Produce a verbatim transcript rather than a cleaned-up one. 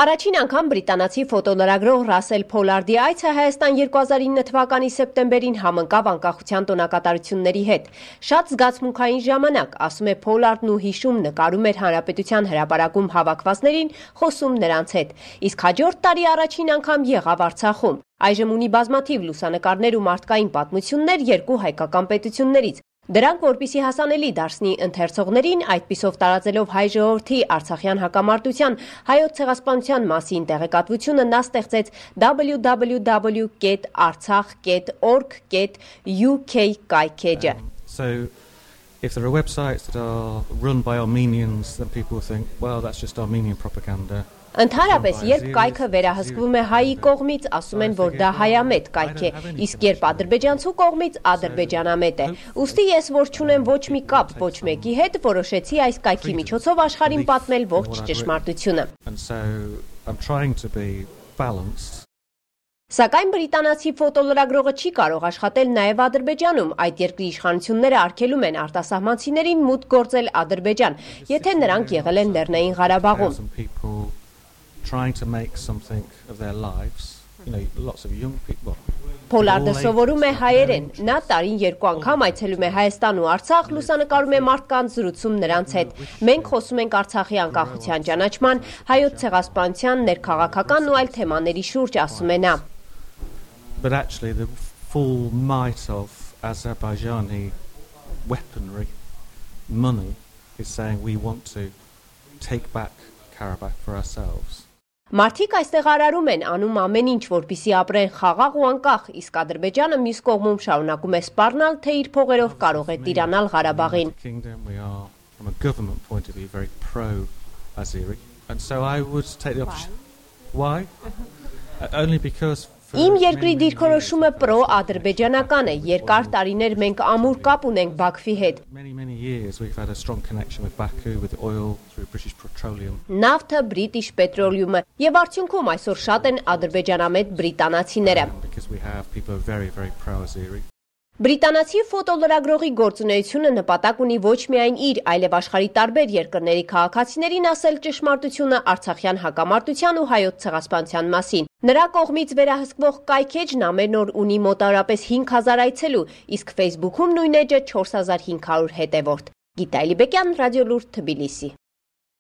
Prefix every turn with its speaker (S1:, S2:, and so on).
S1: Առաջին անգամ բրիտանացի ֆոտոլրագրող Ռասել Փոլարդի այցը Հայաստան երկու հազար ինը թվականի սեպտեմբերին համընկավ անկախության տոնակատարությունների հետ։ Շատ զգացմունքային ժամանակ, ասում է Փոլարդն ու հիշում նկարում էր Հանրապետության հրապարակում հավաքվածներին, խոսում նրանց հետ։ Իսկ հաջորդ տարի առաջին անգամ եղավ Արցախում։ Այժմ ունի բազմաթիվ լուսանկարներ ու մարդկային պատմություններ երկու հայկական պետություններից։ Դրանք, որպեսզի հասանելի դարձնի ընթերցողներին, այդպիսով տարածելով հայ ժողովրդի արցախյան հակամարտության հայոց ցեղասպանության մասին տեղեկատվությունը, նա ստեղծեց w w w dot artsakh dot org dot u k կայքեջը։
S2: So if there are websites that are run by Armenians, then people think, well, that's just Armenian propaganda.
S1: Ընդհանրապես, երբ կայքը վերահսկվում է հայի կողմից, ասում են, որ դա հայամետ կայք է, իսկ երբ ադրբեջանցու կողմից ադրբեջանամետ է։ Ուստի ես, որ չունեմ ոչ մի կապ ոչ մեկի հետ, որոշեցի այս կայքի միջոցով աշխարհին պատմել ողջ ճշմարտությունը։ Սակայն բրիտանացի ֆոտոլրագրողը չի կարող աշխատել նաև Ադրբեջանում, այդ երկրի իշխանությունները արգելում են արտասահմանցիներին մուտք գործել Ադրբեջան, եթե նրանք եղել են Լեռնային Ղարաբաղում։
S2: Trying to make something of their lives, you know, lots of young people.
S1: Փոլարդը սովորում է հայերեն, նա տարին երկու անգամ այցելում է Հայաստան ու Արցախ, լուսանկարում է մարդկանց, զրուցում նրանց հետ։ Մենք խոսում ենք Արցախի անկախության ճանաչման, հայոց ցեղասպանության, ներքաղաքական ու այլ թեմաների շուրջ, ասում է նա։
S2: But actually the full might of Azerbaijani weaponry, money, is saying we want to take back Karabakh for ourselves.
S1: Մարդիկ այստեղ արարում են, անում ամեն ինչ, որպեսզի ապրեն խաղաղ ու անկախ, իսկ Ադրբեջանը մյուս կողմում շարունակում է սպառնալ, թե իր փողերով կարող է տիրանալ Ղարաբաղին։
S2: We are from a government point of view very pro Azeri, and so I would take the option. Why? Only because
S1: Իմ երկրի դիրքորոշումը պրո-ադրբեջանական է, երկար տարիներ մենք ամուր կապ ունենք Բաքվի հետ։ Նավթը, British Petroleum-ը եւ արդյունքում այսօր շատ են ադրբեջանամետ բրիտանացիները։ Բրիտանացի ֆոտոլրագրողի գործունեությունը նպատակ ունի ոչ միայն իր, այլև աշխարհի տարբեր երկրների քաղաքացիներին ասել ճշմարտությունը արցախյան հակամարտության ու հայոց ցեղասպանության մասին։ Նրա կողմից վերահսկվող կայքեջն ամեն օր ունի մոտավորապես հինգ հազար այցելու, իսկ Facebook-ում նույն էջը չորս հազար հինգ հարյուր հետևորդ։ Գիտա Էլիբեկյան, Ռադիոլուրդ, Թբիլիսի։